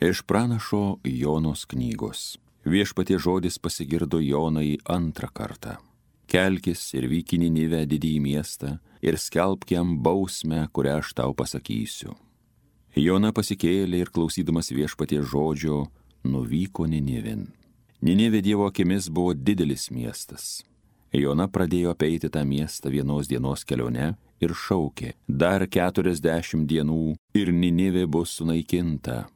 Iš pranašo Jonos knygos. Viešpaties žodis pasigirdo Jonai antrą kartą. Kelkis ir vyk į Ninivę, didįjį miestą, ir skelbk jam bausmę, kurią aš tau pasakysiu. Jona pasikėlė ir klausydamas viešpaties žodžio, nuvyko Ninivin. Ninivė Dievo akimis buvo didelis miestas. Jona pradėjo apeiti tą miestą vienos dienos kelione ir šaukė: dar 40 dienų ir Ninivė bus sunaikinta.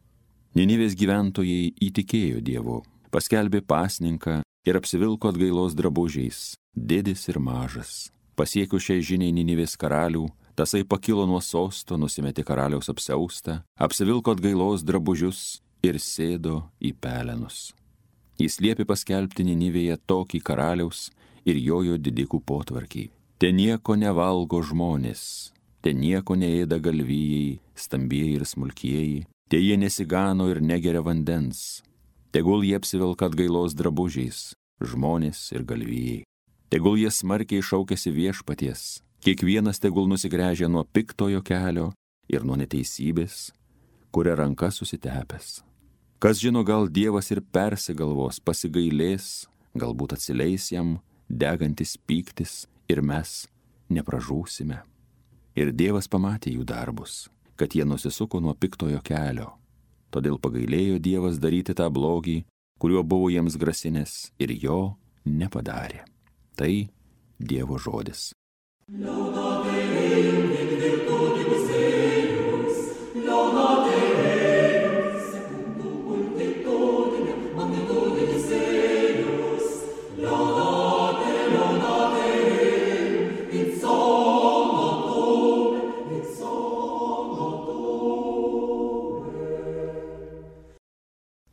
Ninivės gyventojai įtikėjo Dievu, paskelbė pasninką ir apsivilko atgailos drabužiais, didis ir mažas. Pasiekus šiai žiniai Ninivės karalių, tasai pakilo nuo sosto, nusimetė karaliaus apsiaustą, apsivilko atgailos drabužius ir sėdo į pelenus. Jis liepė paskelbti Ninivėje tokį karaliaus ir jojo didikų potvarkį: te nieko nevalgo žmonės, te nieko neėda galvijai, stambieji ir smulkieji, te jie nesigano ir negeria vandens. Tegul jie apsivilka atgailos drabužiais, žmonės ir galvijai. Tegul jie smarkiai šaukiasi viešpaties, kiekvienas tegul nusigręžia nuo piktojo kelio ir nuo neteisybės, kuria ranka susitepęs. Kas žino, gal Dievas ir persigalvos, pasigailės, galbūt atsileis jam degantis pyktis ir mes nepražūsime. Ir Dievas pamatė jų darbus, kad jie nusisuko nuo piktojo kelio. Todėl pagailėjo Dievas daryti tą blogį, kuriuo buvo jiems grasinęs, ir jo nepadarė. Tai Dievo žodis.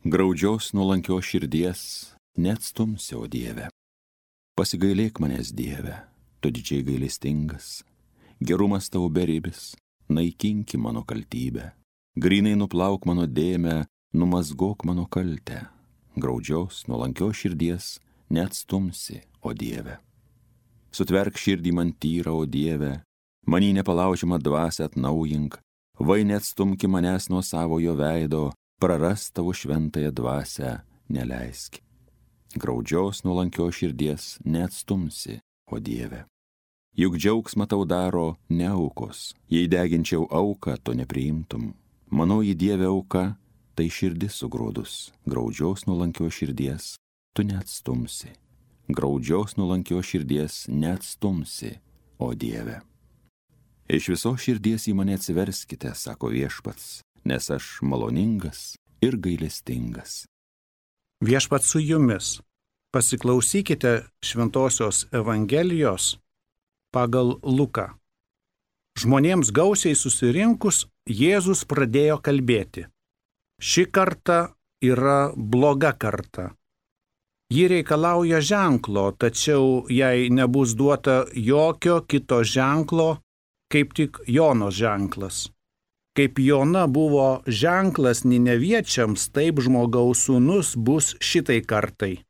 Graudžios nuolankios širdies neatstumsi, o Dieve. Pasigailėk manęs, Dieve, tu didžiai gailestingas. Gerumas tau beribis, naikinki mano kaltybę. Grynai nuplauk mano dėmę, numazgok mano kaltę. Graudžios nuolankios širdies neatstumsi, o Dieve. Sutverk širdį man tyrą, o Dieve, manį nepalaužiamą dvasią atnaujink, vai neatstumki manęs nuo savojo veido, prarast tavo šventąją dvasią neleisk. Graudžios nuolankios širdies neatstumsi, o Dieve. Juk džiaugsmą tau daro ne aukos, jei deginčiau auką, to nepriimtum. Manoji Dieve auka, tai širdis sugrūdus, graudžios nuolankios širdies tu neatstumsi. Graudžios nuolankios širdies neatstumsi, o Dieve. Iš visos širdies į mane atsiverskite, sako viešpats, nes aš maloningas ir gailestingas. Viešpats su jumis. Pasiklausykite Šventosios Evangelijos pagal Luką. Žmonėms gausiai susirinkus, Jėzus pradėjo kalbėti: ši karta yra bloga karta. Ji reikalauja ženklo, tačiau jai nebus duota jokio kito ženklo, kaip tik Jonos ženklas. Kaip Jona buvo ženklas nineviečiams, taip žmogaus sūnus bus šitai kartai.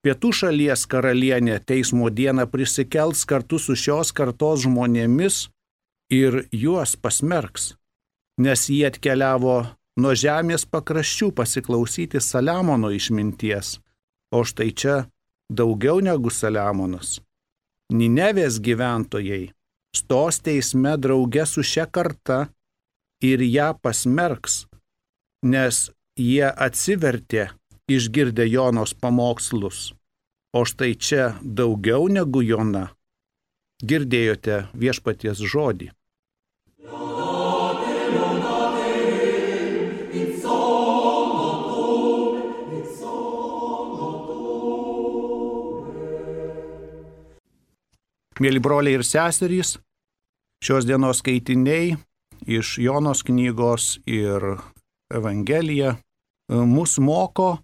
Pietų šalies karalienė teismo dieną prisikels kartu su šios kartos žmonėmis ir juos pasmerks, nes jie atkeliavo nuo žemės pakraščių pasiklausyti Saliamono išminties, o štai čia daugiau negu Saliamonas. Ninevės gyventojai stos teisme drauge su šia karta ir ją pasmerks, nes jie atsivertė išgirdę Jonos pamokslus, o štai čia daugiau negu Jona. Girdėjote viešpaties žodį. Mėly broliai ir seserys, šios dienos skaitiniai iš Jonos knygos ir Evangelija mus moko,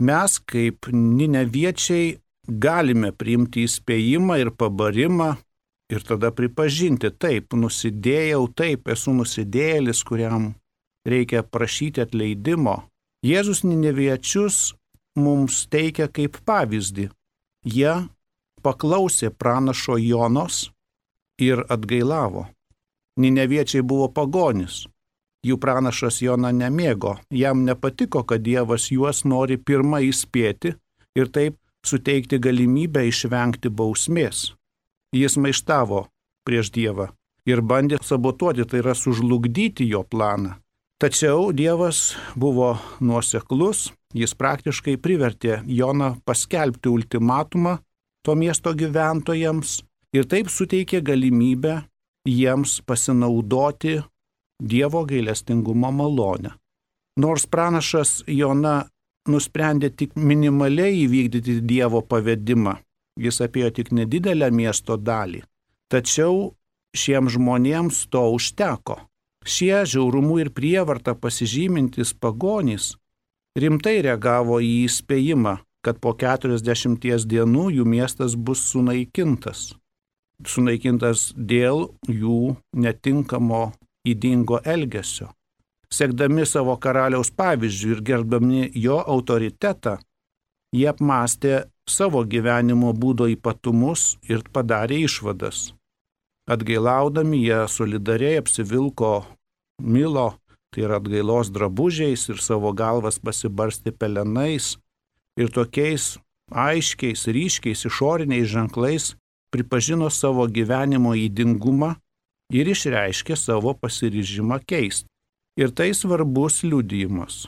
mes kaip nineviečiai galime priimti įspėjimą ir pabarimą ir tada pripažinti: taip, nusidėjau, taip, esu nusidėjėlis, kuriam reikia prašyti atleidimo. Jėzus nineviečius mums teikia kaip pavyzdį. Jie paklausė pranašo Jonos ir atgailavo. Nineviečiai buvo pagonis. jų pranašas Jona nemėgo. Jam nepatiko, kad Dievas juos nori pirmą įspėti ir taip suteikti galimybę išvengti bausmės. Jis maištavo prieš Dievą ir bandė sabotuoti, tai yra sužlugdyti jo planą. Tačiau Dievas buvo nuoseklus, jis praktiškai privertė Joną paskelbti ultimatumą to miesto gyventojams ir taip suteikė galimybę jiems pasinaudoti Dievo gailestingumo malonę. Nors pranašas Jona nusprendė tik minimaliai įvykdyti Dievo pavedimą, jis apėjo tik nedidelę miesto dalį, tačiau šiems žmonėms to užteko. Šie žiaurumu ir prievartą pasižymintis pagonys rimtai reagavo į įspėjimą, kad po 40 dienų jų miestas bus sunaikintas. Sunaikintas dėl jų netinkamo ydingo elgesio. Sekdami savo karaliaus pavyzdžių ir gerbdami jo autoritetą, jie apmąstė savo gyvenimo būdo ypatumus ir padarė išvadas. Atgailaudami jie solidariai apsivilko milo, tai yra atgailos drabužiais ir savo galvas pasibarstė pelenais ir tokiais aiškiais, ryškiais išoriniais ženklais pripažino savo gyvenimo ydingumą ir išreiškė savo pasiryžimą keisti. Ir tai svarbus liudijimas.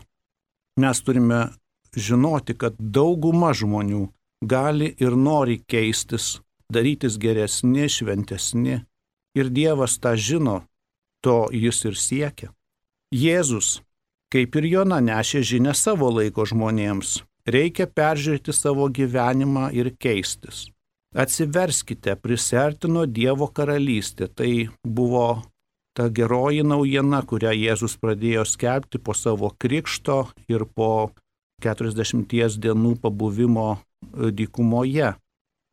Mes turime žinoti, kad dauguma žmonių gali ir nori keistis, darytis geresni, šventesni. Ir Dievas tą žino, to jis ir siekia. Jėzus, kaip ir Jona, nešė žinią savo laiko žmonėms. Reikia peržiūrėti savo gyvenimą ir keistis. Atsiverskite, prisertino Dievo karalystė. Tai buvo ta geroji naujiena, kurią Jėzus pradėjo skelbti po savo krikšto ir po 40 dienų pabuvimo dykumoje.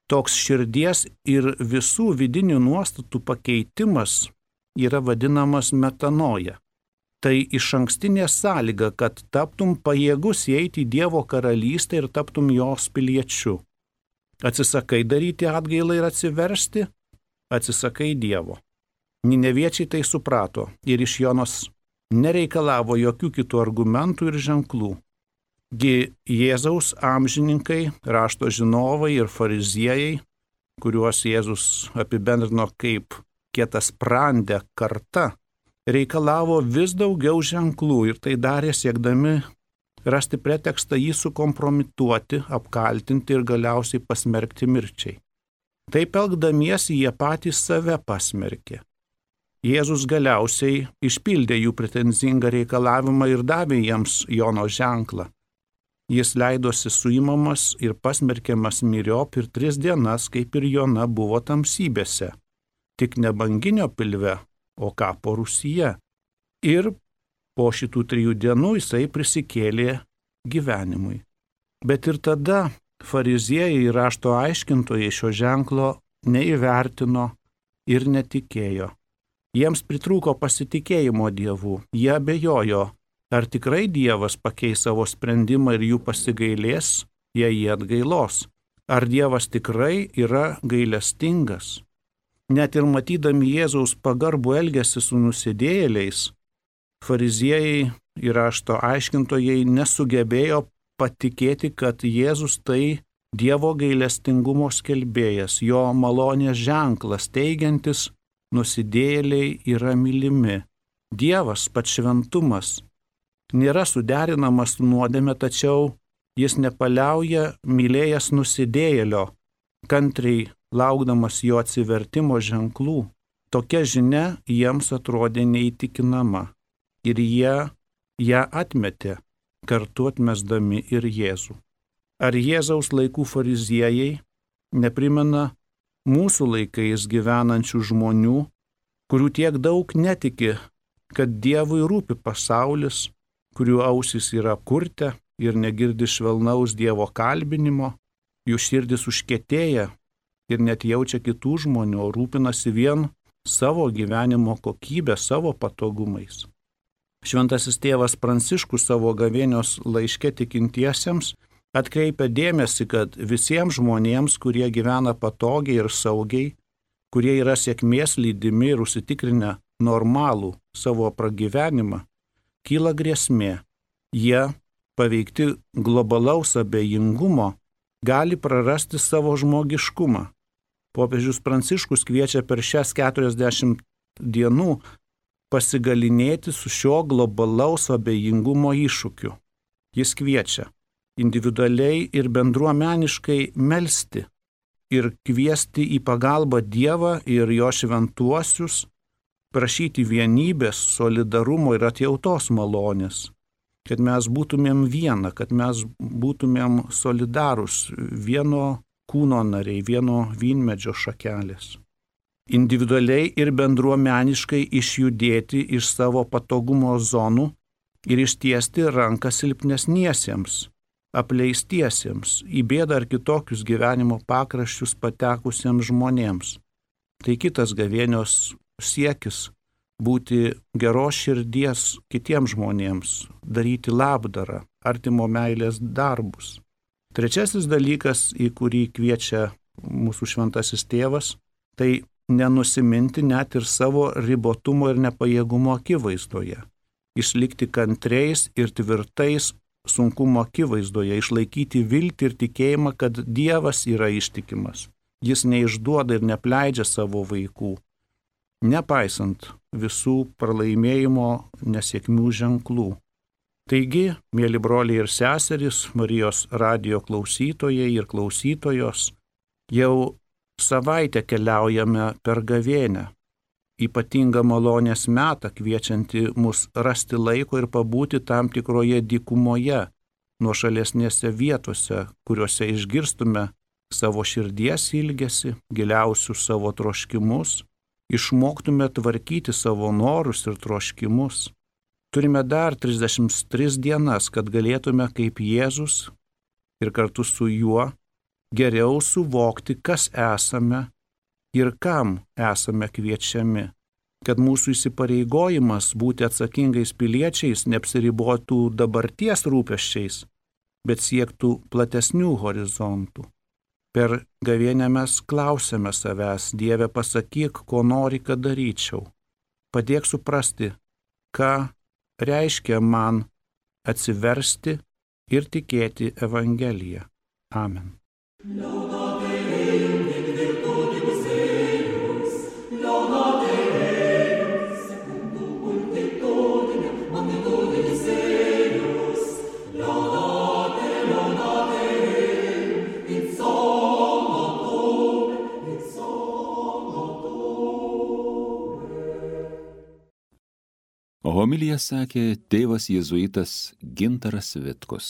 Toks širdies ir visų vidinių nuostatų pakeitimas yra vadinamas metanoja. Tai išankstinė sąlyga, kad taptum pajėgus įeiti į Dievo karalystę ir taptum jos piliečiu. Atsisakai daryti atgailą ir atsiversti, atsisakai Dievo. Nineviečiai tai suprato ir iš Jonos nereikalavo jokių kitų argumentų ir ženklų. Gi Jėzaus amžininkai, rašto žinovai ir fariziejai, kuriuos Jėzus apibendrino kaip kietassprandę kartą, reikalavo vis daugiau ženklų ir tai darė siekdami rasti pretekstą jį sukompromituoti, apkaltinti ir galiausiai pasmerkti mirčiai. Taip elgdamiesi jie patys save pasmerkė. Jėzus galiausiai išpildė jų pretenzingą reikalavimą ir davė jiems Jono ženklą. Jis leidosi suimamas ir pasmerkiamas myriop ir 3 dienas, kaip ir Jona, buvo tamsybėse, tik ne banginio pilve, o kapo rūsyje. Ir po šitų 3 dienų jisai prisikėlė gyvenimui. Bet ir tada fariziejai ir rašto aiškintojai šio ženklo neįvertino ir netikėjo. Jiems pritrūko pasitikėjimo Dievu, jie abejojo, ar tikrai Dievas pakeis savo sprendimą ir jų pasigailės, jei jie atgailos. Ar Dievas tikrai yra gailestingas? Net ir matydami Jėzaus pagarbų elgesį su nusidėjėliais, fariziejai ir rašto aiškintojai nesugebėjo patikėti, kad Jėzus tai Dievo gailestingumo skelbėjas, jo malonės ženklas, teigiantis, nusidėjėliai yra mylimi. Dievas, pats šventumas, nėra suderinamas su nuodėme, tačiau jis nepaliauja mylėjęs nusidėjėlio, kantriai laukdamas jo atsivertimo ženklų. Tokia žinia jiems atrodė neįtikinama ir jie ją atmetė, kartu atmesdami ir Jėzų. Ar Jėzaus laikų fariziejai neprimena mūsų laikais gyvenančių žmonių, kurių tiek daug netiki, kad Dievui rūpi pasaulis, kurių ausys yra apkurtę ir negirdi švelnaus Dievo kalbinimo, jų širdis užkietėja ir net jaučia kitų žmonių, rūpinasi vien savo gyvenimo kokybę, savo patogumais. Šventasis tėvas Pranciškus savo gavėnios laiške tikintiesiems atkreipia dėmesį, kad visiems žmonėms, kurie gyvena patogiai ir saugiai, kurie yra sėkmės lydimi ir užsitikrinę normalų savo pragyvenimą, kyla grėsmė. Jie, paveikti globalaus abejingumo, gali prarasti savo žmogiškumą. Popiežius Pranciškus kviečia per šias 40 dienų pasigalinėti su šio globalaus abejingumo iššūkiu. Jis kviečia individualiai ir bendruomeniškai melsti ir kviesti į pagalbą Dievą ir jo šventuosius, prašyti vienybės, solidarumo ir atjautos malonės, kad mes būtumėm viena, kad mes būtumėm solidarūs, vieno kūno nariai, vieno vynmedžio šakelės. Individualiai ir bendruomeniškai išjudėti iš savo patogumo zonų ir ištiesti ranką silpnesniesiems, apleistiesiems, į bėdą ar kitokius gyvenimo pakraščius patekusiems žmonėms. Tai kitas gavėnios siekis – būti geros širdies kitiems žmonėms, daryti labdarą, artimo meilės darbus. Trečiasis dalykas, į kurį kviečia mūsų šventasis tėvas, tai nenusiminti net ir savo ribotumo ir nepajėgumo akivaizdoje. Išlikti kantriais ir tvirtais sunkumo akivaizdoje, išlaikyti viltį ir tikėjimą, kad Dievas yra ištikimas. Jis neišduoda ir nepleidžia savo vaikų, nepaisant visų pralaimėjimo nesėkmių ženklų. Taigi, mėly broliai ir seserys, Marijos radijo klausytojai ir klausytojos, jau savaitę keliaujame per gavėnią, ypatingą malonės metą, kviečianti mus rasti laiko ir pabūti tam tikroje dykumoje, nuošalesnėse vietose, kuriuose išgirstume savo širdies ilgesį, giliausius savo troškimus, išmoktume tvarkyti savo norus ir troškimus. Turime dar 33 dienas, kad galėtume kaip Jėzus ir kartu su juo geriau suvokti, kas esame ir kam esame kviečiami, kad mūsų įsipareigojimas būti atsakingais piliečiais neapsiribotų dabarties rūpesčiais, bet siektų platesnių horizontų. Per gavėnią mes klausiame savęs: Dieve, pasakyk, ko nori, kad daryčiau. Padėk suprasti, ką reiškia man atsiversti ir tikėti Evangeliją. Amen. Homiliją sakė tėvas jėzuitas Gintaras Vitkus.